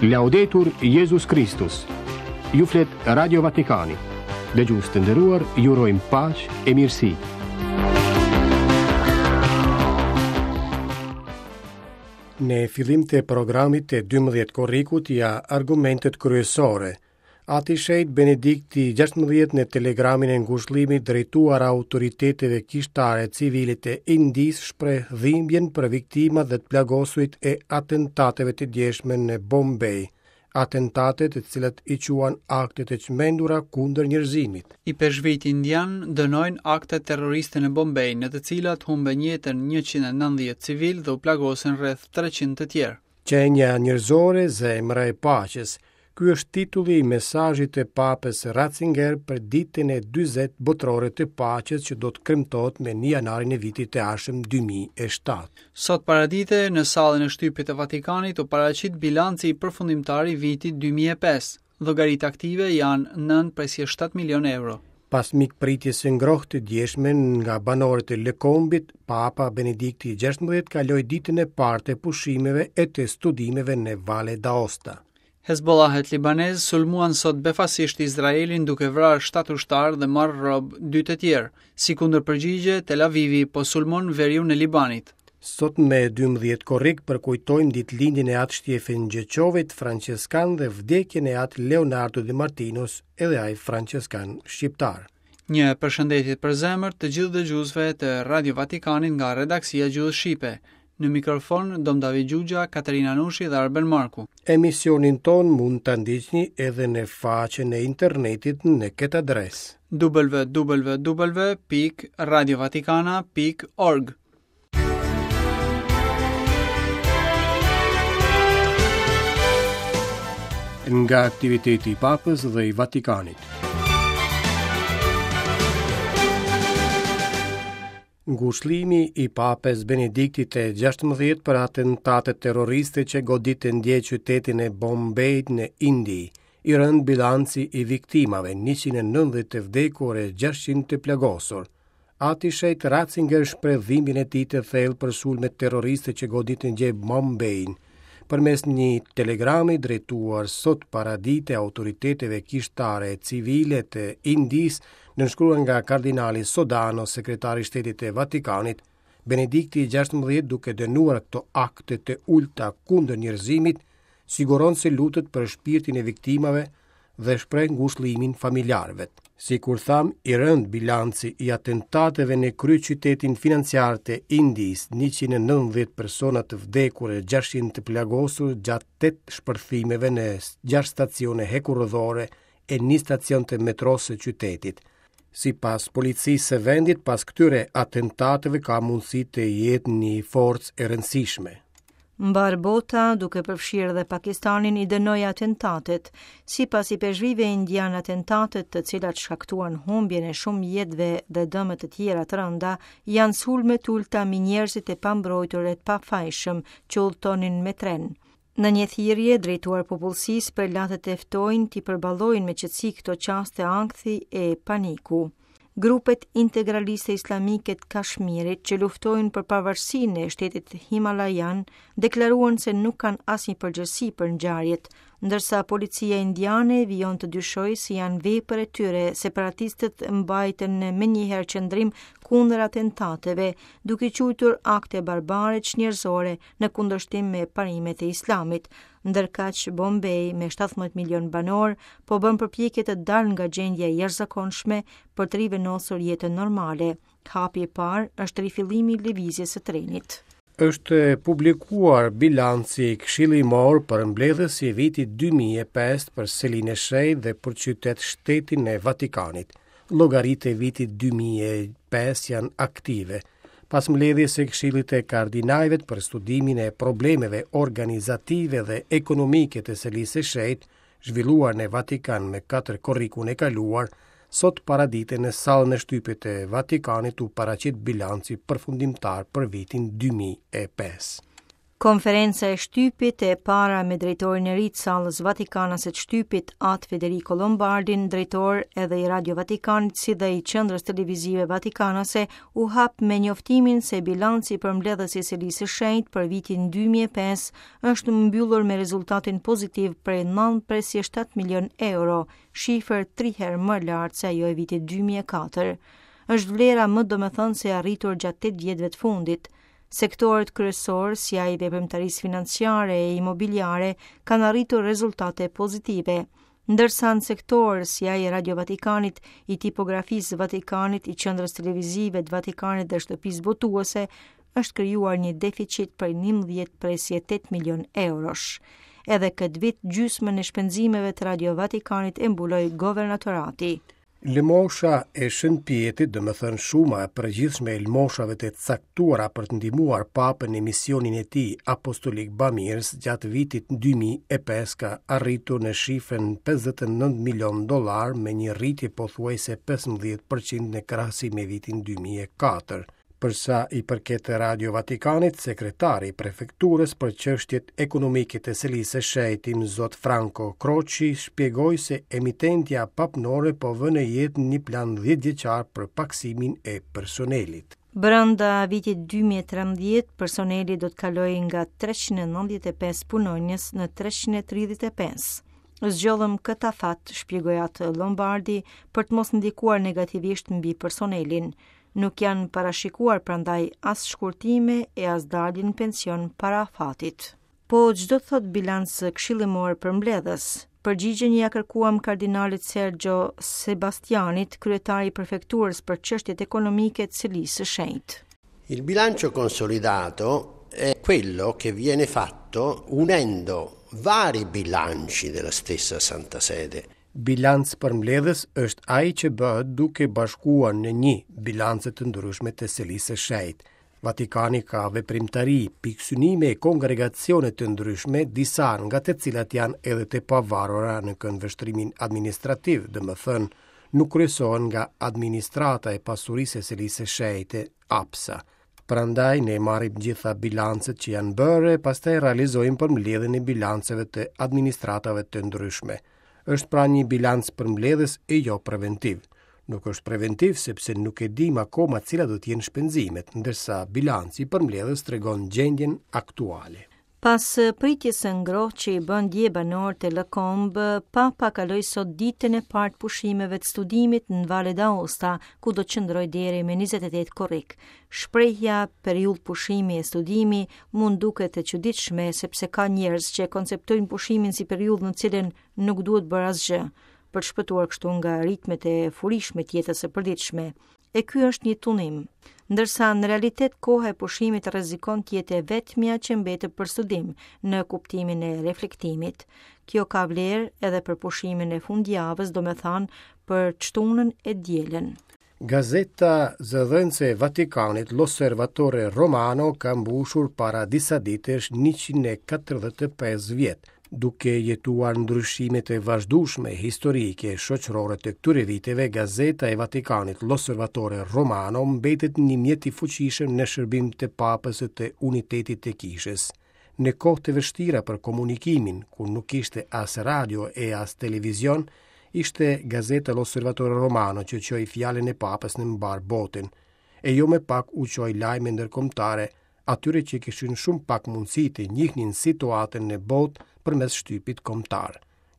Laudetur Jezus Kristus. Ju flet Radio Vatikani. Dëgjues të nderuar, ju urojmë paqe e mirësi. Në fillim të programit të 12 korrikut ja argumentet kryesore. Ati i Shenjtë Benedikti 16 në telegramin e ngushëllimit drejtuar autoriteteve kishtare civile të Indisë shpreh dhimbjen për viktimat dhe të plagosurit e atentateve të djeshme në Bombay, atentate të cilat i quan akte të çmendura kundër njerëzimit. Ipeshkvijtë indianë dënojnë aktet terroriste në Bombay, në të cilat humbën jetën 190 civilë dhe u plagosën rreth 300 të tjerë. Qenia njerëzore, zemra e paqes. Ky është titulli i mesazhit të Papës Ratzinger për ditën e 40 botërore të paqes që do të kremtohet me 1 janarin e vitit të ardhshëm 2007. Sot paradite, në sallën e shtypit të Vatikanit u paraqit bilanci përfundimtar i vitit 2005. Llogaritë aktive janë 9,7 milionë euro. Pas mikpritjes së ngrohtë të djeshme nga banorët e Lëkombit, Papa Benedikti XVI kaloi ditën e parë të pushimeve e të studimeve në Valle d'Aosta. Hezbollahët libanezë sulmuan sot befasisht Izraelin duke vrarë 7 ushtarë dhe marrë rob dy të tjerë. Si kundërpërgjigje, Tel Avivi po sulmon veriun e Libanit. Sot me 12 korrik përkujtojmë ditëlindjen e Atë Shtjefën Gjeçovit, françeskan dhe vdekjen e Atë Leonardo de Martinos, edhe ai françeskan shqiptar. Një përshëndetje të përzemërt të gjithë dëgjuesve të Radio Vatikanit nga redaksia e Gjuhës Shqipe. Në mikrofon Dom David Xhuxha, Katerina Nushi dhe Arben Marku. Emisionin tonë mund ta ndiqni edhe në faqen e internetit në këtë adresë. www.radiovatikana.org Nga aktiviteti i Papës dhe i Vatikanit. Ngushëllimi i Papës Benediktit të 16 për atentatet terroriste që goditën dje qytetin e Bombejt në Indi. I rëndë bilanci i viktimave, 190 të vdekur e 600 të plagosur. Ati i Shenjtë Ratzinger shpreh dhimbjen e tij të thellë për sulmet terroriste që goditën dje Bombein. Përmes një telegrami drejtuar sot paradite autoriteteve kishtare e civile të Indisë, nënshkruar nga kardinali Sodano, sekretari i Shtetit të Vatikanit, Benedikti i 16 duke dënuar këto akte të ulëta kundër njerëzimit, siguron se lutet për shpirtin e viktimave dhe shpreh ngushëllimin familjarëve. Sikur thamë, i rëndë bilanci i atentateve në kryeqytetin financiar të Indisë, 190 persona të vdekur e 600 të plagosur gjatë 8 shpërthimeve në 6 stacione hekurudhore e një stacion të metrosë së qytetit. Sipas policisë së vendit, pas këtyre atentateve ka mundësi të jetë një forcë e rëndësishme. Mbarë bota, duke përfshirë dhe Pakistanin, i dënoi atentatet. Sipas ipeshkvijve indianë, atentatet, të cilat shkaktuan humbjen e shumë jetëve dhe dëme të tjera të rënda, janë sulme të ulëta mbi njerëzit e pambrojtur e të pafajshëm që udhëtonin me tren. Në një thirrje drejtuar popullsisë, prelatët e ftojnë t'i përballojnë me qetësi këto çaste ankthi e paniku. Grupet integraliste islamike të Kashmirit që luftojnë për pavarësinë e shtetit Himalajan deklaruan se nuk kanë asnjë përgjegjësi për ngjarjet, ndërsa policia indiane vijon të dyshojë se janë vepër e tyre, separatistët mbajtën menjëherë qëndrim kundër atentateve, duke i quajtur akte barbare çnjerëzore në kundërshtim me parimet e Islamit. Ndërkaq, Bombay me 17 milion banorë po bën përpjekje të dalë nga gjendja e jashtëzakonshme për të rivendosur jetën normale. Hapi i parë është rifillimi i lëvizjes së trenit. Është publikuar bilanci këshillimor përmbledhës i vitit 2005 për Selinë e Shenjtë dhe për qytet shtetin e Vatikanit. Llogaritë e vitit 2005 janë aktive. Pas mbledhjes së Këshillit të Kardinajve për studimin e problemeve organizative dhe ekonomike të Selisë së Shenjtë, zhvilluar në Vatikan me 4 korrikun e kaluar, sot paradite në sallën e shtypit të Vatikanit u paraqit bilanci përfundimtar për vitin 2005. Konferenca e shtypit e para me drejtorin e ri të sallës Vatikanase të shtypit, Atë Federico Lombardin, drejtor edhe i Radio Vatikanit si dhe i Qendrës Televizive Vatikanase, u hap me njoftimin se bilanci përmbledhës i Selisë së Shenjtë për vitin 2005 është mbyllur me rezultatin pozitiv prej 9,7 milion euro, shifër tri herë më lartë se ajo e vitit 2004. Është vlera më domethënëse e arritur gjatë 8 vjetëve të fundit. Sektorët kryesorë, si ai i veprimtarisë financiare e imobiliare, kanë arritur rezultate pozitive, ndërsa në sektorë si ai i Radio Vatikanit, i Tipografisë së Vatikanit, i Qendrës Televizive të Vatikanit dhe Shtëpisë Botuese, është krijuar një deficit prej 11,8 milion eurosh. Edhe këtë vit gjysmën e shpenzimeve të Radio Vatikanit e mbuloi governatorati. Lëmosha e Shën Pjetrit, domethënë shuma e përgjithshme e lëmoshave të caktuara për të ndihmuar Papën në misionin e tij apostolik bamirës gjatë vitit 2005 ka arritur në shifrën 59 milion dollarë me një rritje pothuajse 15% në krahasim me vitin 2004. Për sa i përket Radio Vatikanit, sekretari i prefekturës për çështjet ekonomike të Selisë së Shenjtë, Imzot Franco Croci, shpjegoi se emitentja papnore po vë në jetë një plan 10-vjeçar për pakësimin e personelit. Brenda vitit 2013, personeli do të kalojë nga 395 punonjës në 335. Zgjodhëm këtë afat, shpjegoi atë Lombardi, për të mos ndikuar negativisht mbi personelin. Nuk janë parashikuar prandaj as shkurtime e as dalje në pension para afatit. Po ç'do të thotë bilanc këshillimor përmbledhës? Përgjigjen ia kërkuam kardinalit Sergio Sebastianit, kryetar i prefekturës për çështjet ekonomike të Selisë së Shenjtë. Il bilancio consolidato è quello che viene fatto unendo vari bilanci della stessa Santa Sede. Bilanc përmbledhës është ai që bëhet duke bashkuar në një bilance të ndryshme të Selisë së Shenjtë. Vatikani ka veprimtari, pikësynime e kongregacione të ndryshme, disa nga të cilat janë edhe të pavarura në këndvështrimin administrativ, domethënë nuk kryesohen nga administrata e pasurisë së Selisë së Shenjtë, APSA. Prandaj ne marrim gjitha bilancet që janë bërë e pastaj realizojmë përmbledhjen e bilanceve të administratave të ndryshme. Është pra një bilanc përmbledhës e jo preventiv. Nuk është preventiv sepse nuk e dimë akoma cilat do të jenë shpenzimet, ndërsa bilanci përmbledhës tregon gjendjen aktuale. Pas pritjes së ngrohtë që i bënë dje banorët e Le Combes, Papa kaloi sot ditën e parë të pushimeve të studimit në Valle d'Aosta, ku do të qëndrojë deri me 28 korrik. Shprehja periudhë pushimi e studimi mund duket e çuditshme sepse ka njerëz që e konceptojnë pushimin si periudhë në cilën nuk duhet bërë asgjë, për të shpëtuar kështu nga ritmet e furishme të jetës së përditshme. E ky është një tundim. Ndërsa në realitet koha e pushimit rrezikon të jetë e vetmja që mbetet për studim në kuptimin e reflektimit. Kjo ka vlerë edhe për pushimin e fundjavës, domethënë për të shtunën e dielën. Gazeta zëdhënëse e Vatikanit L'Osservatore Romano ka mbushur para disa ditësh 145 vjet. Duke jetuar ndryshimet e vazhdueshme historike e shoqërore të këtyre viteve, Gazeta e Vatikanit L'Osservatore Romano mbetet një mjet i fuqishëm në shërbim të Papës e të unitetit të Kishës. Në kohë të vështira për komunikimin, kur nuk kishte as radio e as televizion, ishte Gazeta L'Osservatore Romano që çoi fjalën e Papës në mbarë botën, e jo më pak u çoi lajme ndërkombëtare atyre që kishin shumë pak mundësi të njihnin situatën në botë përmes shtypit kombëtar.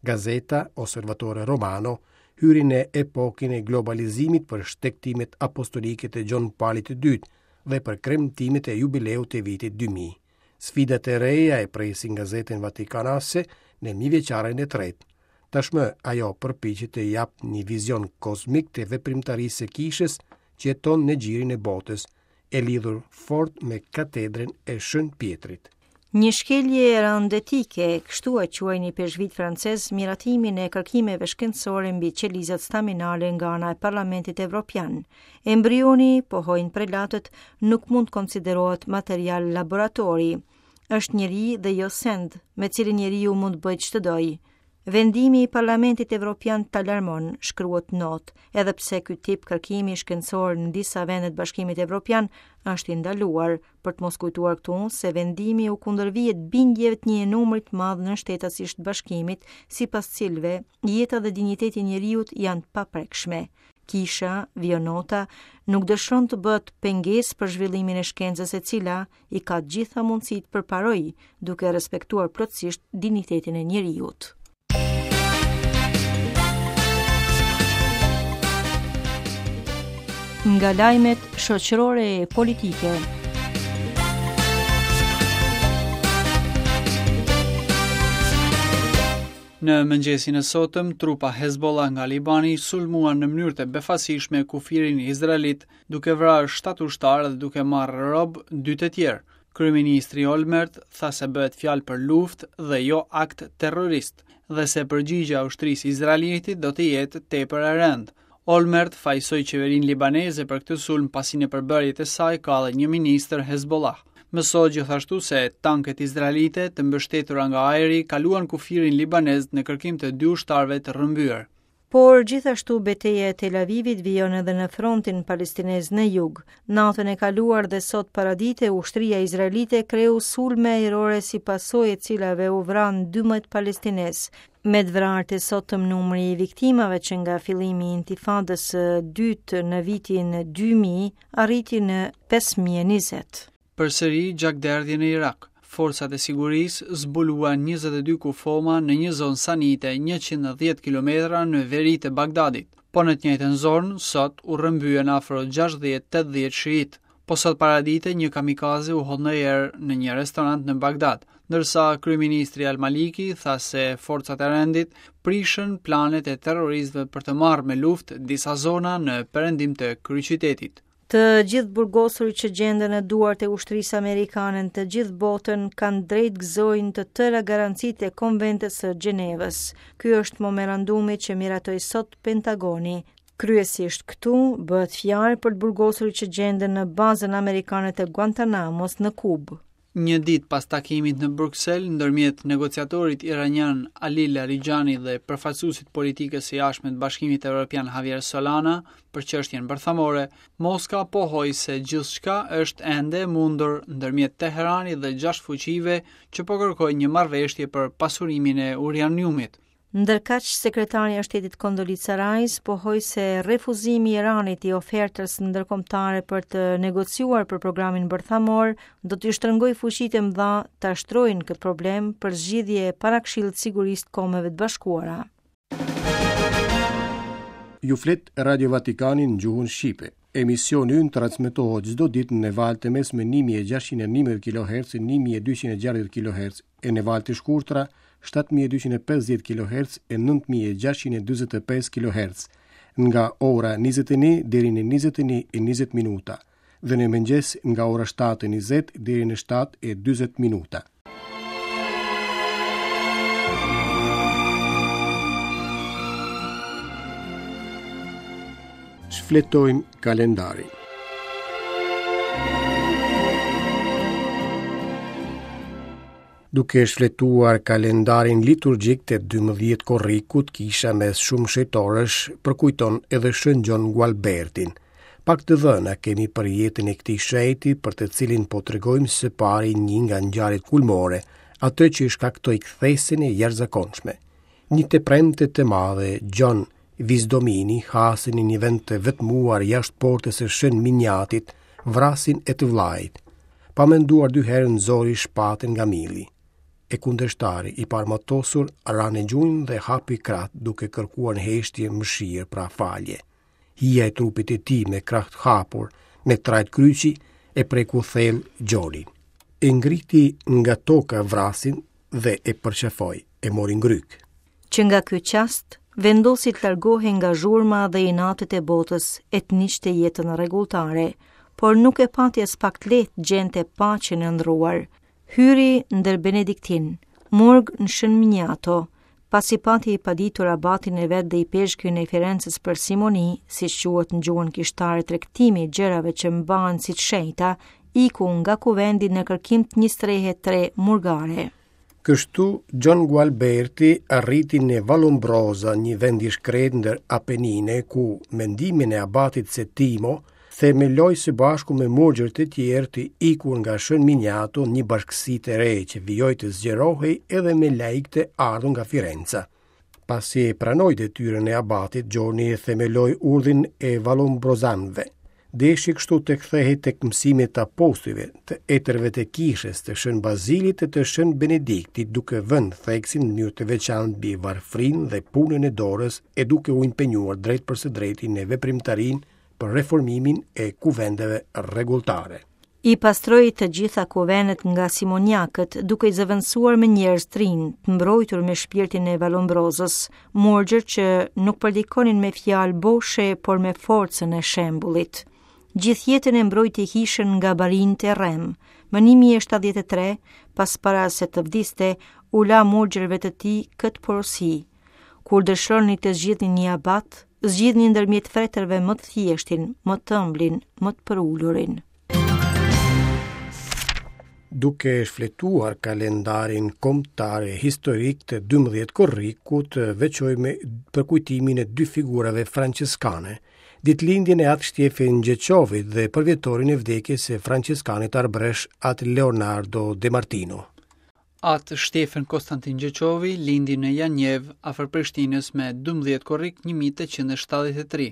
Gazeta Osservatore Romano hyri në epokën e globalizimit për shtegtimet apostolike të Gjon Palit të Dytë dhe për kremtimet e jubileut të vitit 2000. Sfidat e reja e presin gazetën vatikanase në mijëvjeçarin e tretë. Tashmë ajo përpiqet të japë një vizion kozmik të veprimtarisë së kishës që jeton në gjirin e botës, e lidhur fort me katedrën e Shën Pjetrit. Një shkelje e rëndë etike, kështu e quajnë ipeshkvijtë francezë miratimin e kërkimeve shkencore mbi qelizat staminale nga ana e Parlamentit Evropian. Embrioni, pohojnë prelatët, nuk mund të konsiderohet material laboratori. Është njeri dhe jo send, me cilin njeriu mund të bëjë ç'të dojë. Vendimi i Parlamentit Evropian të alarmon, shkruhet në notë, edhe pse ky tip kërkimi shkencor në disa vende të Bashkimit Evropian është i ndaluar, për të mos kujtuar këtu se vendimi u kundërvihet bindjeve të një numri të madh nënshtetasisht të Bashkimit, sipas cilëve jeta dhe dinjiteti i njeriut janë të paprekshme. Kisha, vijon nota, nuk dëshiron të bëhet pengesë për zhvillimin e shkencës e cila i ka të gjitha mundësitë të përparojë, duke respektuar plotësisht dinjitetin e njeriut. Nga lajmet shoqërore e politike. Në mëngjesin e sotëm, trupa Hezbollah nga Libani sulmuan në mënyrë të befasishme kufirin izraelit duke vrarë 7 ushtarë dhe duke marrë rob dy të tjerë. Kryeministri Olmert tha se bëhet fjalë për luftë dhe jo akt terrorist dhe se përgjigja e ushtrisë izraelite do të jetë tepër e rëndë. Olmert fajësoi qeverinë libaneze për këtë sulm pasi në përbërje të saj ka edhe një ministër Hezbollah. Mësohet gjithashtu se tanket izraelite të mbështetura nga ajri kaluan kufirin libanez në kërkim të dy ushtarëve të rrëmbyer. Por gjithashtu beteja e Tel Avivit vijon edhe në frontin palestinez në jug. Natën e kaluar dhe sot paradite, ushtria izraelite kreu sulme ajrore si pasojë e të cilave u vranë 12 palestinezë. Me të vrarët e sotëm numri i viktimave që nga fillimi i intifadës së dytë në vitin 2000 arriti në 5020. Përsëri gjakderdhje në Irak. Forcat e sigurisë zbuluan 22 kufoma në një zonë sanite 110 kilometra në veri të Bagdadit. Po në të njëjtën zonë, sot u rrëmbyen afro 60-80 shiitë. Po sot paradite një kamikaze u hodh në erë në një restorant në Bagdad, ndërsa kryeministri Al-Maliki tha se forcat e rendit prishën planet e terroristëve për të marrë me luftë disa zona në perëndim të kryeqytetit. Të gjithë të burgosurit që gjenden në duart e ushtrisë amerikane në të gjithë botën kanë drejt gëzojnë të tëra garancitë e Konventës së Gjenevës. Ky është memorandumi që miratoi sot Pentagoni. Kryesisht këtu bëhet fjalë për të burgosurit që gjenden në bazën amerikane të Guantanamos në Kubë. Një ditë pas takimit në Bruksel ndërmjet negociatorit iranian Ali Larijani dhe përfaqësuesit të politikës së jashtme të Bashkimit Evropian Javier Solana për çështjen bërthamore, Moska pohoi se gjithçka është ende e mundur ndërmjet Teheranit dhe gjashtë fuqive që po kërkojnë një marrëveshje për pasurimin e uraniumit. Ndërkaq, sekretarja e shtetit Condoleezza Rice pohoi se refuzimi i Iranit i ofertës ndërkombëtare për të negociuar për programin bërthamor do t'i shtrëngojë fuqitë e mëdha ta shtrojnë këtë problem për zgjidhje para Këshillit të Sigurisë të Kombeve të Bashkuara. Ju flet Radio Vatikani në gjuhën shqipe. Emisioni ynë transmetohet çdo ditë në valë të mesme 1611 kHz, 1260 kHz e në valë të shkurtra 7250 kHz e 9645 kHz nga ora 21 deri në 21 e 20 minuta dhe në mëngjes nga ora 7:20 deri në 7:40 minuta. Shfletojmë kalendarin. Duke shfletuar kalendarin liturgjik të 12 korrikut, kisha mes shumë shenjtorësh përkujton edhe Shën Gjon Gualbertin. Pak të dhëna kemi për jetën e këtij shenjti për të cilin po tregojmë së pari një nga ngjarjet kulmore, atë që i shkaktoi kthesën e jashtëzakonshme. Një të premte të madhe, Gjon Visdomini hasi në një vend të vetmuar jashtë portës së Shën Miniatit, vrasësin e të vëllait. Pa menduar dy herë nxori shpatën nga milli. E kundërshtari i paarmatosur ra në gjunjë dhe hapi krahët duke kërkuar në heshtje mëshirë pra falje. Hija e trupit të tij me krahë të hapur, në trajtë kryqi, e preku thellë Gjonin. E ngriti nga toka vrasësin dhe e përqafoi, e mori në grykë. Që nga ky çast, vendosi të largohej nga zhurma dhe inatet e botës e të ndiqte jetën rregulltare, por nuk e pati aspak të lehtë të gjente paqen e ëndërruar. Hyri ndër Benediktinë, murg në Shën Miniato, pasi pati paditur abatin e vet dhe ipeshkvin e Firences për simoni, siç quhet në gjuhën kishtare tregtimi i gjërave që mbahen si të shenjta, iku nga kuvendi në kërkim të një strehe të re murgare. Kështu, Gjon Gualberti arriti në Vallombrosa, një vend i shkretë ndër Apenine, ku me ndihmën e abatit Settimo, themeloi së bashku me murgjër të tjerë të ikur nga Shën Miniato një bashkësi të re që vijoi të zgjerohej edhe me laikë të ardhur nga Firenca. Pasi e pranoi detyrën e abatit, Gjoni themeloi urdhrin e Vallombrozanëve. Deshi kështu të kthehej tek mësimet e apostujve, të etërve të kishës, të Shën Bazilit e të Shën Benediktit, duke vënë theksin në mënyrë të veçantë mbi varfërinë dhe punën e dorës e duke u impenjuar drejtpërsëdrejti në veprimtarinë për reformimin e kuvendeve rregulltare. I pastroi të gjitha kuvendet nga simoniakët, duke i zëvendësuar me njerëz të rinj, të mbrojtur me shpirtin e Vallombrozës, murgjër që nuk predikonin me fjalë boshe, por me forcën e shembullit. Gjithë jetën e mbrojti kishën nga barinjtë e rremë. Më 1073, pas para se të vdiste, u la murgjërve të tij këtë porosi. Kur dëshironi të zgjidhni një abat, zgjidhni ndërmjet fretërve më të thjeshtin, më të ëmblin, më të përulurin. Duke shfletuar kalendarin kombëtar e historik të 12 korrikut, veçojmë përkujtimin e dy figurave françeskane, ditëlindjen e Atë Shtjefen Gjeçovit dhe përvjetorin e vdekjes së françeskanit arbëresh Atë Leonardo De Martino. Atë Shtjefen Konstantin Gjeçovi lindi në Janjevë, afër Prishtinës me 12 korrik 1873.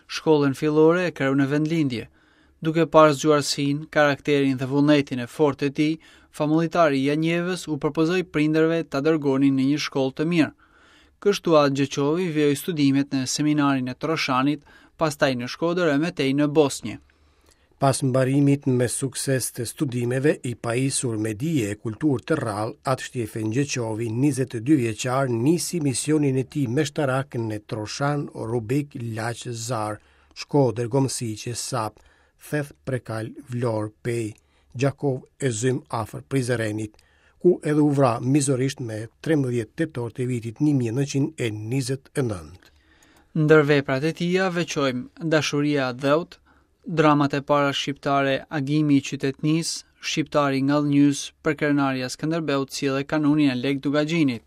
Shkollën fillore e kreu në vendlindje. Duke parë zgjuarsinë, karakterin dhe vullnetin e fortë të tij, famullitari i Janjevës u propozoi prindërve ta dërgonin në një shkollë të mirë. Kështu Atë Gjeçovi vijoi studimet në seminarin e Troshanit, pastaj në Shkodër e më tej në Bosnjë. Pas mbarimit me sukses të studimeve, i pajisur me dije e kulturë të rrallë, Atë Shtjefen Gjeçovi, 22 vjeçar, nisi misionin e tij meshtarak në Troshan, Rubik, Laç, Zarë, Shkodër, Gomsiqe, Sapë, Theth, Prekal, Vlorë, Pejë, Gjakovë e Zym afër Prizrenit, ku edhe u vra mizorisht me 13 tetor të vitit 1929. Ndër veprat e tija veçojmë Dashuria e Atdheut, Dramat e para shqiptare Agimi i qytetnisë, Shqiptari i Ngadhnjys, Përkrenarja e Skënderbeut si dhe Kanunin e Lekë Dukagjinit.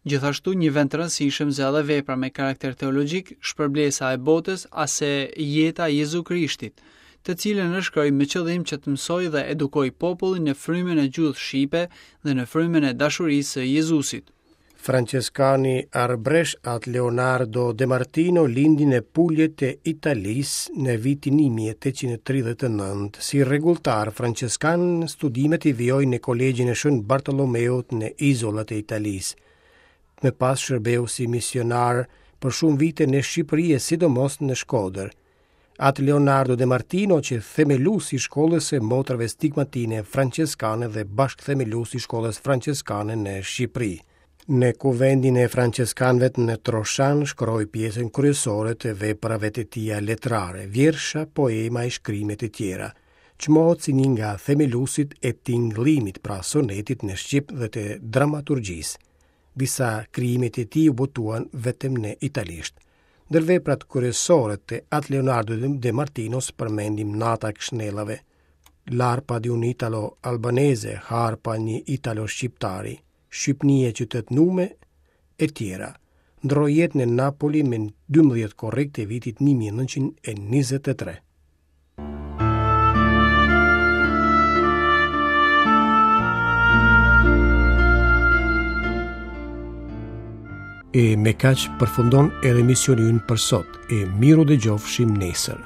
Gjithashtu një vend të rëndësishëm zë edhe vepra me karakter teologjik Shpërblesa e botës ose Jeta e Jezu Krishtit, të cilën e shkroi me qëllim që të mësojë dhe edukojë popullin në frymën e gjuhës shqipe dhe në frymën e dashurisë së Jezusit. Françeskani arbëresh Atë Leonardo De Martino lindi në Pulje të Italisë në vitin 1839. Si rregulltar françeskan, studimet i vijoi në Kolegjin e Shën Bartolomeut në Izolat e Italisë. Më pas shërbeu si misionar për shumë vite në Shqipëri e sidomos në Shkodër. Atë Leonardo De Martino qe themelues i shkollës së motrave stigmatine françeskane dhe bashkëthemelues i shkollës françeskane në Shqipëri. Në kuvendin e françeskanëve në Troshan shkroi pjesën kryesore të veprave të tija letrare, vjersha, poema e shkrime të tjera. Çmohet si një nga themeluesit e tingëllimit, pra sonetit në shqip dhe të dramaturgjisë. Disa krijime të tij u botuan vetëm në italisht. Ndër veprat kryesore të Atë Leonardo De Martinos përmendim Nata e Këshnellave, L'arpa di un italo albanese, Harpa e një italo shqiptari, Shqypni e qytetnume, e tjera. Ndërroi jetë në Napoli me 12 korrik të vitit 1923. E me kaq përfundon edhe emisioni ynë për sot, e mirudëgjofshim nesër.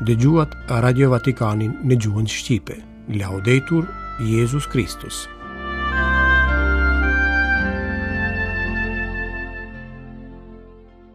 Dëgjuat Radio Vatikanin në gjuhën shqipe. Laudetur Jezus Kristus.